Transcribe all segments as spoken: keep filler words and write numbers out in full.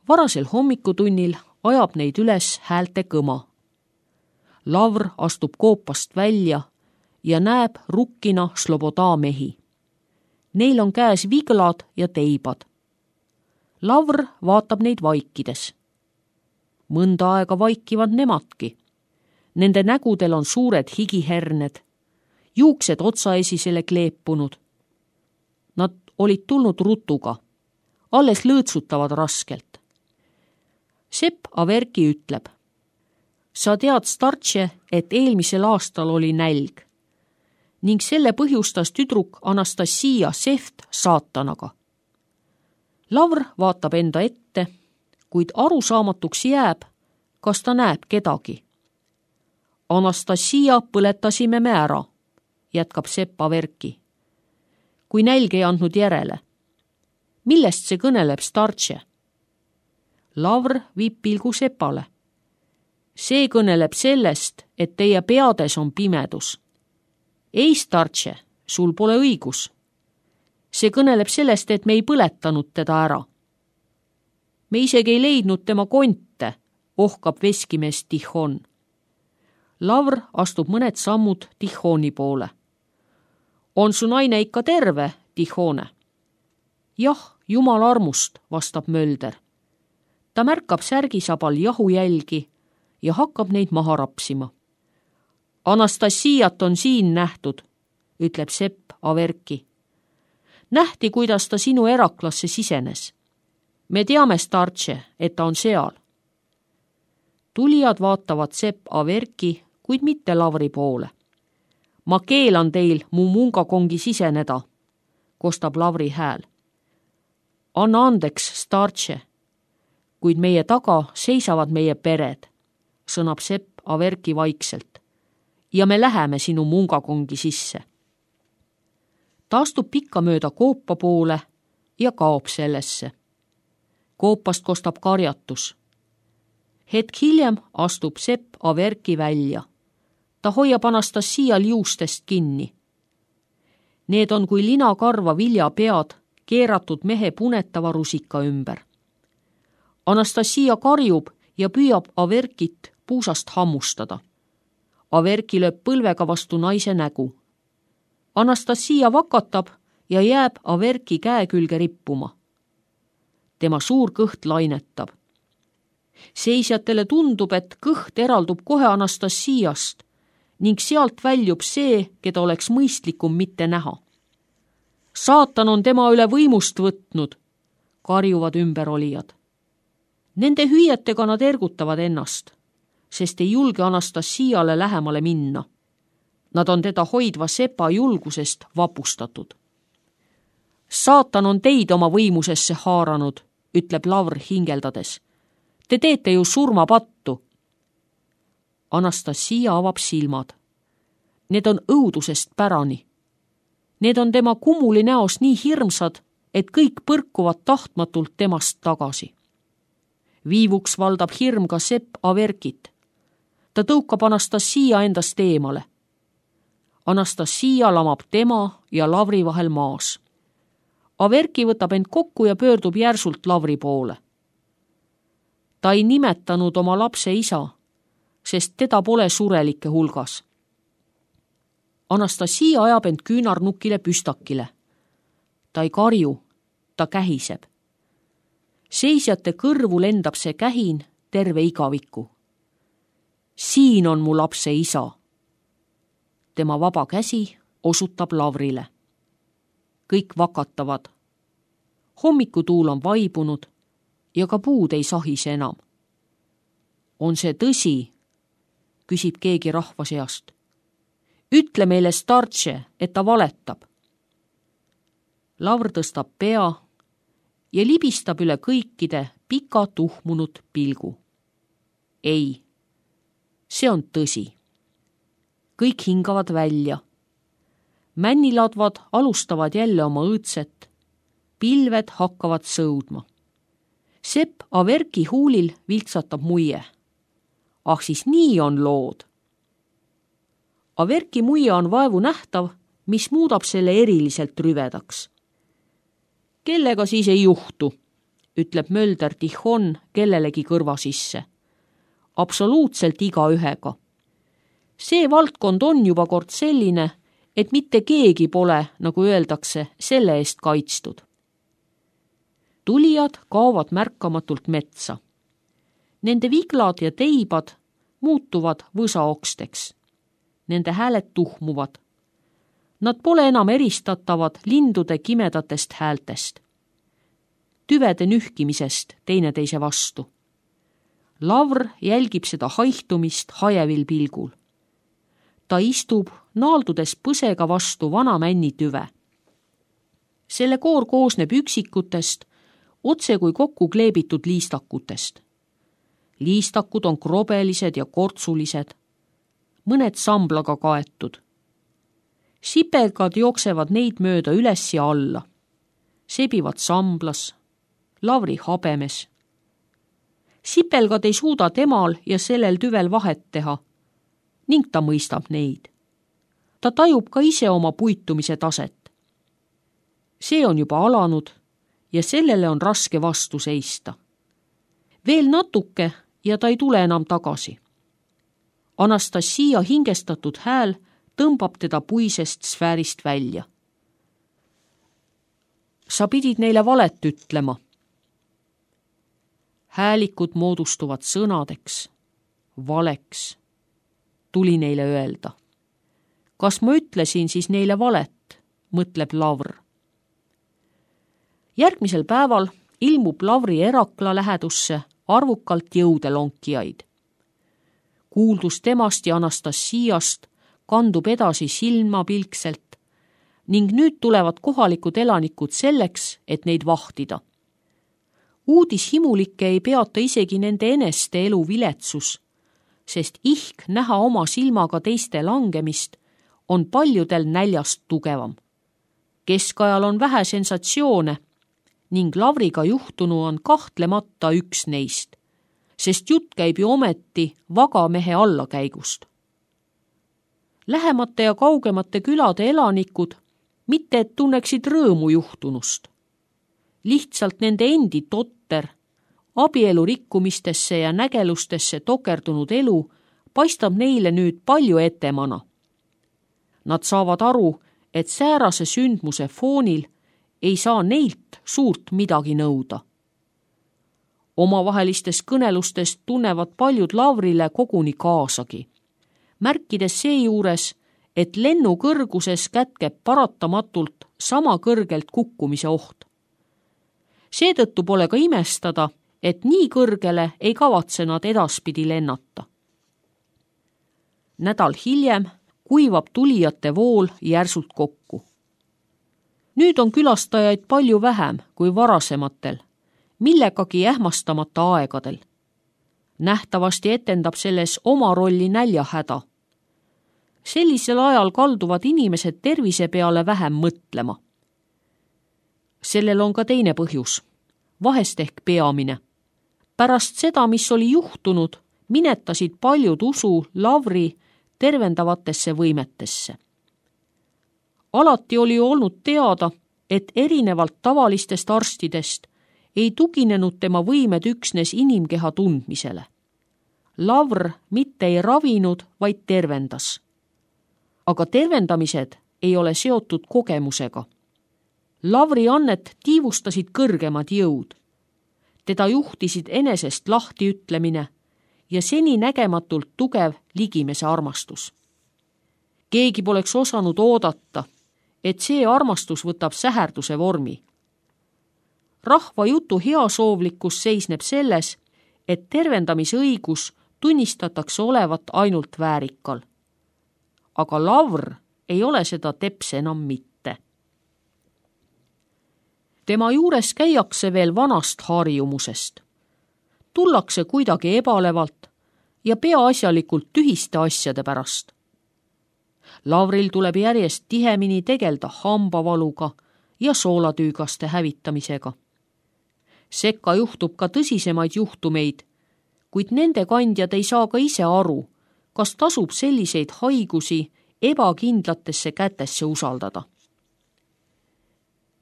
Varasel hommikutunnil ajab neid üles häälte kõma. Lavr astub koopast välja ja näeb rukkina Sloboda mehi. Neil on käes viglad ja teibad. Lavr vaatab neid vaikides. Mõnda aega vaikivad nemadki. Nende nägudel on suured higiherned, juuksed otsaesisele kleepunud. Nad olid tulnud rutuga, alles lõõtsutavad raskelt. Sepp Averki ütleb: sa tead, startše, et eelmisel aastal oli nälg ning selle põhjustas tüdruk Anastasia Seft saatanaga. Lavr vaatab enda ette, kuid arusaamatuks jääb, kas ta näeb kedagi. Anastasia põletasime me ära, jätkab Sepp Averki, kui nälg ei andnud järele. Millest see kõneleb, startše? Lavr viib pilgu Sepale. See kõneleb sellest, et teie peades on pimedus. Ei, startše, sul pole õigus. See kõneleb sellest, et me ei põletanud teda ära. Me isegi ei leidnud tema konte, ohkab veskimees Tihon. Lavr astub mõned sammud Tihoni poole. On su naine ikka terve, Tihone? Jah, jumal armust, vastab Mölder. Ta märkab särgisabal jahujälgi ja hakkab neid maha rapsima. Anastasiat on siin nähtud, ütleb Sepp Averki. Nähti, kuidas ta sinu eraklasse sisenes. Me teame, startše, et ta on seal. Tulijad vaatavad Sepp Averki, kuid mitte Lavri poole. Ma keelan teil mu mungakongi siseneda, kostab Lavri hääl. Anna andeks, startše, kuid meie taga seisavad meie pered, sõnab Sepp Averki vaikselt, ja me läheme sinu mungakongi sisse. Ta astub pikka mööda koopa poole ja kaob sellesse. Koopast kostab karjatus. Hetk hiljem astub Sepp Averki välja. Ta hoiab Anastasial juustest kinni. Need on kui linakarva viljapead keeratud mehe punetava rusika ümber. Anastasia karjub ja püüab Averkit puusast hammustada. Averki lööb põlvega vastu naise nägu. Anastasia vakatab ja jääb Averki käe külge rippuma. Tema suur kõht lainetab. Seisjatele tundub, et kõht eraldub kohe Anastasiast ning sealt väljub see, keda oleks mõistlikum mitte näha. Saatan on tema üle võimust võtnud, karjuvad ümberolijad. Nende hüüetega nad ergutavad ennast, sest ei julge Anastasiale lähemale minna. Nad on teda hoidva sepa julgusest vapustatud. Saatan on teid oma võimusesse haaranud, ütleb Lavr hingeldades. Te teete ju surmapattu. Anastasia avab silmad. Need on õudusest pärani. Need on tema kumuli näos nii hirmsad, et kõik põrkuvad tahtmatult temast tagasi. Viivuks valdab hirm ka Sepp Averkit. Ta tõukab Anastasia endast eemale. Anastasia lamab tema ja Lavri vahel maas. Averki võtab end kokku ja pöördub järsult Lavri poole. Ta ei nimetanud oma lapse isa, sest teda pole surelike hulgas. Anastasia ajab end küünarnukile püstakile. Ta ei karju, ta kähiseb. Seisjate kõrvu lendab see kähin terve igaviku. Siin on mu lapse isa. Tema vaba käsi osutab Lavrile. Kõik vakatavad. Hommikutuul on vaibunud ja ka puud ei sahise enam. On see tõsi? Küsib keegi rahva seast. Ütle meile, startše, et ta valetab. Lavr tõstab pea ja libistab üle kõikide pika tuhmunud pilgu. Ei, see on tõsi. Kõik hingavad välja. Männiladvad alustavad jälle oma õõtset. Pilved hakkavad sõudma. Sepp Averki huulil viltsatab muie. Ah, siis nii on lood. Averki muie on vaevu nähtav, mis muudab selle eriliselt rüvedaks. Kellega siis ei juhtu, ütleb Mölder Tihon kellelegi kõrva sisse. Absoluutselt igaühega. See valdkond on juba kord selline, et mitte keegi pole, nagu öeldakse, selle eest kaitstud. Tulijad kaovad märkamatult metsa. Nende viglad ja teibad muutuvad võsaoksteks. Nende hääled tuhmuvad. Nad pole enam eristatavad lindude kimedatest häältest. Tüvede nühkimisest teineteise vastu. Lavr jälgib seda haihtumist hajevil pilgul. Ta istub naaldudes põsega vastu vana männitüve. Selle koor koosneb üksikutest, otse kui kokku kleebitud liistakutest. Liistakud on krobelised ja kortsulised, mõned samblaga kaetud. Sipelgad jooksevad neid mööda üles ja alla. Sebivad samblas, Lavri habemes. Sipelgad ei suuda temal ja sellel tüvel vahet teha ning ta mõistab neid. Ta tajub ka ise oma puitumise taset. See on juba alanud ja sellele on raske vastu seista. Veel natuke ja ta ei tule enam tagasi. Anastasia hingestatud hääl tõmbab teda puisest sfäärist välja. Sa pidid neile valet ütlema. Häälikud moodustuvad sõnadeks, valeks, tuli neile öelda. Kas ma ütlesin siis neile valet, mõtleb Lavr. Järgmisel päeval ilmub Lavri erakla lähedusse arvukalt jõudelonkijaid. Kuuldus temast ja Anastasiast kandub edasi silmapilkselt ning nüüd tulevad kohalikud elanikud selleks, et neid vahtida. Uudishimulikke ei peata isegi nende eneste elu viletsus, sest ihk näha oma silmaga teiste langemist on paljudel näljast tugevam. Keskajal on vähe sensatsioone ning Lavriga juhtunu on kahtlemata üks neist, sest jutt käib ju ometi vagamehe allakäigust. Lähemate ja kaugemate külade elanikud mitte et tunneksid rõõmu juhtunust. Lihtsalt nende endi totter, abielu rikkumistesse ja nägelustesse tokerdunud elu paistab neile nüüd palju etemana. Nad saavad aru, et säärase sündmuse foonil ei saa neilt suurt midagi nõuda. Omavahelistes kõnelustes tunnevad paljud Lavrile koguni kaasagi, märkides seejuures, et lennu kõrguses kätkeb paratamatult sama kõrgelt kukkumise oht. Seetõttu pole ka imestada, et nii kõrgele ei kavatse nad edaspidi lennata. Nädal hiljem kuivab tulijate vool järsult kokku. Nüüd on külastajaid palju vähem kui varasematel, millegagi ähmastamata aegadel. Nähtavasti etendab selles oma rolli näljahäda. Sellisel ajal kalduvad inimesed tervise peale vähem mõtlema. Sellel on ka teine põhjus, vahest ehk peamine. Pärast seda, mis oli juhtunud, minetasid paljud usu Lavri tervendavatesse võimetesse. Alati oli olnud teada, et erinevalt tavalistest arstidest ei tuginenud tema võimed üksnes inimkeha tundmisele. Lavr mitte ei ravinud, vaid tervendas. Aga tervendamised ei ole seotud kogemusega. Lavri annet tiivustasid kõrgemad jõud. Teda juhtisid enesest lahti ütlemine ja seni nägematult tugev ligimese armastus. Keegi poleks osanud oodata, et see armastus võtab säherduse vormi. Rahva jutu heasoovlikkus seisneb selles, et tervendamisõigus tunnistatakse olevat ainult väärikal. Aga Lavr ei ole seda teps enam mitte. Tema juures käiakse veel vanast harjumusest. Tullakse kuidagi ebalevalt ja peaasjalikult tühiste asjade pärast. Lavril tuleb järjest tihemini tegelda hambavaluga ja soolatüügaste hävitamisega. Sekka juhtub ka tõsisemaid juhtumeid, kuid nende kandjad ei saa ka ise aru, kas tasub selliseid haigusi ebakindlatesse kätesse usaldada.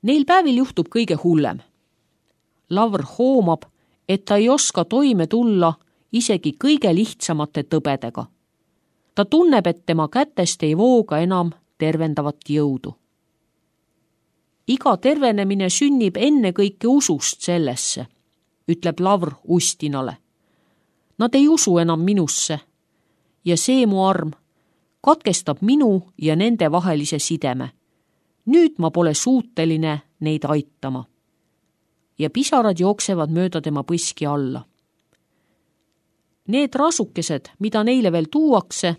Neil päevil juhtub kõige hullem. Lavr hoomab, et ta ei oska toime tulla isegi kõige lihtsamate tõbedega. Ta tunneb, et tema kätest ei vooga enam tervendavat jõudu. Iga tervenemine sünnib ennekõike usust sellesse, ütleb Lavr Ustinale. Nad ei usu enam minusse ja see mu arm katkestab minu ja nende vahelise sideme. Nüüd ma pole suuteline neid aitama. Ja pisarad jooksevad mööda tema põski alla. Need rasukesed, mida neile veel tuuakse,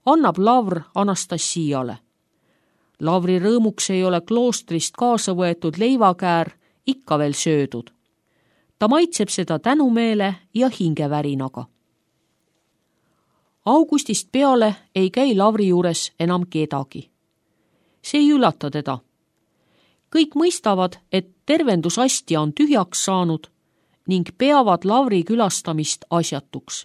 annab Lavr Anastasiale. Lavri rõõmuks ei ole kloostrist kaasa võetud leivakäär ikka veel söödud. Ta maitseb seda tänumeele ja hingevärinaga. Augustist peale ei käi Lavri juures enam kedagi. See ei üllata teda. Kõik mõistavad, et tervendusastja on tühjaks saanud ning peavad Lavri külastamist asjatuks.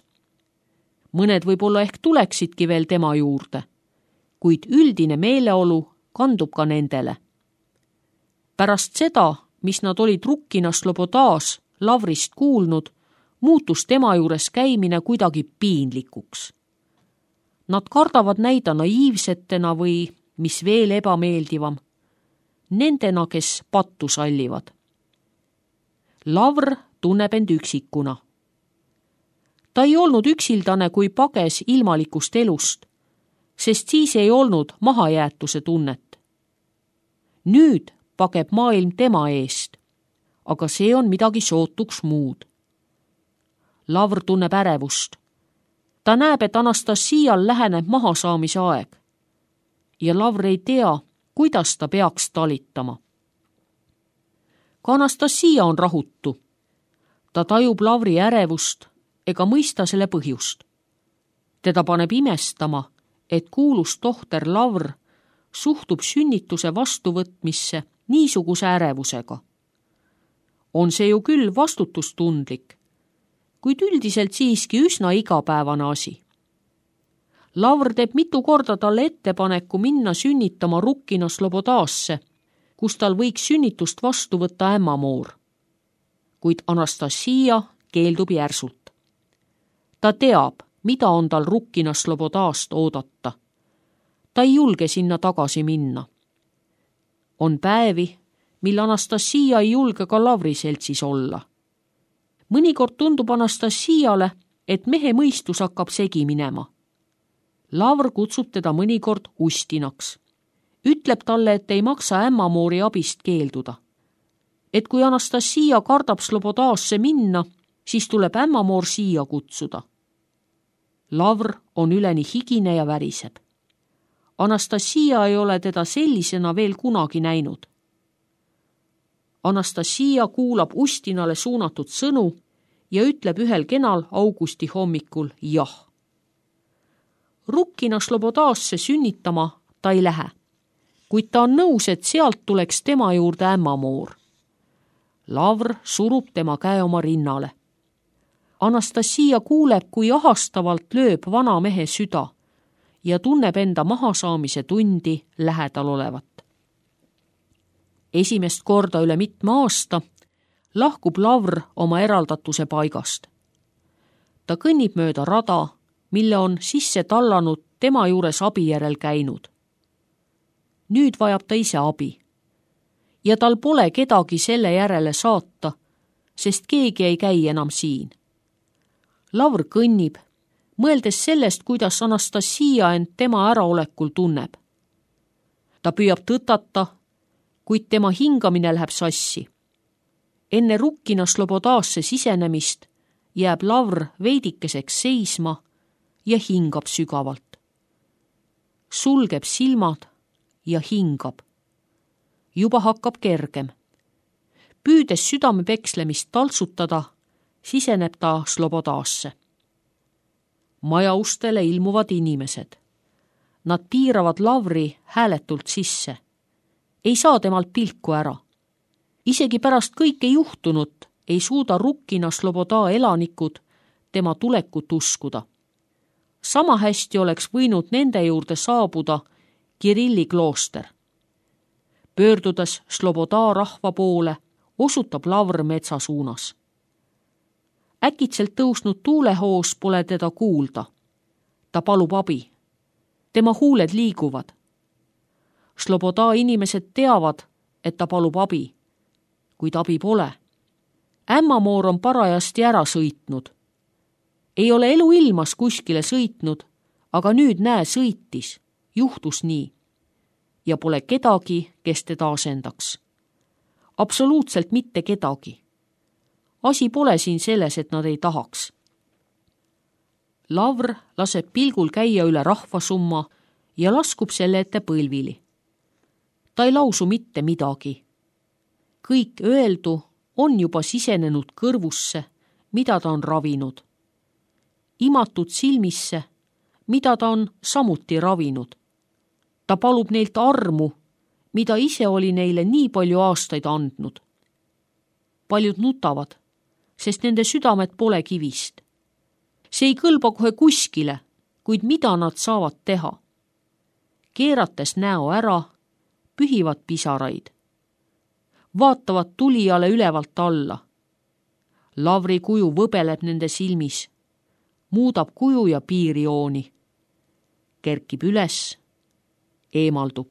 Mõned võib-olla ehk tuleksidki veel tema juurde, kuid üldine meeleolu kandub ka nendele. Pärast seda, mis nad olid Rukkina Slobodas Lavrist kuulnud, muutus tema juures käimine kuidagi piinlikuks. Nad kardavad näida naiivsetena või, mis veel ebameeldivam, nendena, kes pattu sallivad. Lavr tunneb end üksikuna. Ta ei olnud üksildane, kui pages ilmalikust elust, sest siis ei olnud mahajäetuse tunnet. Nüüd pageb maailm tema eest, aga see on midagi sootuks muud. Lavr tunneb ärevust. Ta näeb, et Anastasial läheneb mahasaamise aeg ja Lavr ei tea, kuidas ta peaks talitama. Ka Anastasia on rahutu. Ta tajub Lavri ärevust ega mõista selle põhjust. Teda paneb imestama, et kuulus tohter Lavr suhtub sünnituse vastuvõtmisse niisuguse ärevusega. On see ju küll vastutustundlik, kuid üldiselt siiski üsna igapäevane asi. Lavr teeb mitu korda talle ettepaneku minna sünnitama Rukkina Slobodasse, kus tal võiks sünnitust vastu võtta ämmamoor. Kuid Anastasia keeldub järsult. Ta teab, mida on tal Rukkina Slobodast oodata. Ta ei julge sinna tagasi minna. On päevi, mil Anastasia ei julge ka Lavri seltsis olla. Mõnikord tundub Anastasiale, et mehe mõistus hakkab segi minema. Lavr kutsub teda mõnikord Ustinaks. Ütleb talle, et ei maksa ämmamoori abist keelduda. Et kui Anastasia kardab Slobodasse minna, siis tuleb ämmamoor siia kutsuda. Lavr on üleni higine ja väriseb. Anastasia ei ole teda sellisena veel kunagi näinud. Anastasia kuulab Ustinale suunatud sõnu ja ütleb ühel kenal augusti hommikul jah. Rukkina Slobodasse sünnitama ta ei lähe, kuid ta on nõus, et sealt tuleks tema juurde ämmamoor. Lavr surub tema käe oma rinnale. Anastasia kuuleb, kui ahastavalt lööb vana mehe süda ja tunneb enda mahasaamise tundi lähedal olevat. Esimest korda üle mitme aasta lahkub Lavr oma eraldatuse paigast. Ta kõnnib mööda rada, mille on sisse tallanud tema juures abi järel käinud. Nüüd vajab ta ise abi ja tal pole kedagi selle järele saata, sest keegi ei käi enam siin. Lavr kõnnib, mõeldes sellest, kuidas Anastasia end tema äraolekul tunneb. Ta püüab tõtata, kuid tema hingamine läheb sassi. Enne Rukkina Slobodasse sisenemist jääb Lavr veidikeseks seisma ja hingab sügavalt. Sulgeb silmad ja hingab. Juba hakkab kergem. Püüdes südame pekslemist taltsutada, siseneb ta Slobodasse. Maja ustele ilmuvad inimesed. Nad piiravad Lavri hääletult sisse. Ei saa temalt pilku ära. Isegi pärast kõike juhtunut ei suuda Rukkina Sloboda elanikud tema tulekut uskuda. Sama hästi oleks võinud nende juurde saabuda Kirilli klooster. Pöördudes Sloboda rahva poole, osutab Lavr metsa suunas. Äkitselt tõusnud tuulehoos pole teda kuulda. Ta palub abi. Tema huuled liiguvad. Sloboda inimesed teavad, et ta palub abi, kuid abi pole. Ämmamoor on parajasti ära sõitnud. Ei ole elu ilmas kuskile sõitnud, aga nüüd näe sõitis, juhtus nii. Ja pole kedagi, kes teda asendaks. Absoluutselt mitte kedagi. Asi pole siin selles, et nad ei tahaks. Lavr laseb pilgul käia üle rahvasumma ja laskub selle ette põlvili. Ta ei lausu mitte midagi. Kõik öeldu on juba sisenenud kõrvusse, mida ta on ravinud. Imatud silmisse, mida ta on samuti ravinud. Ta palub neilt armu, mida ise oli neile nii palju aastaid andnud. Paljud nutavad, sest nende südamed pole kivist. See ei kõlba kohe kuskile, kuid mida nad saavad teha? Keerates näo ära, pühivad pisaraid. Vaatavad tulijale ülevalt alla. Lavri kuju võbeleb nende silmis, muudab kuju ja piirjooni. Kerkib üles, eemaldub.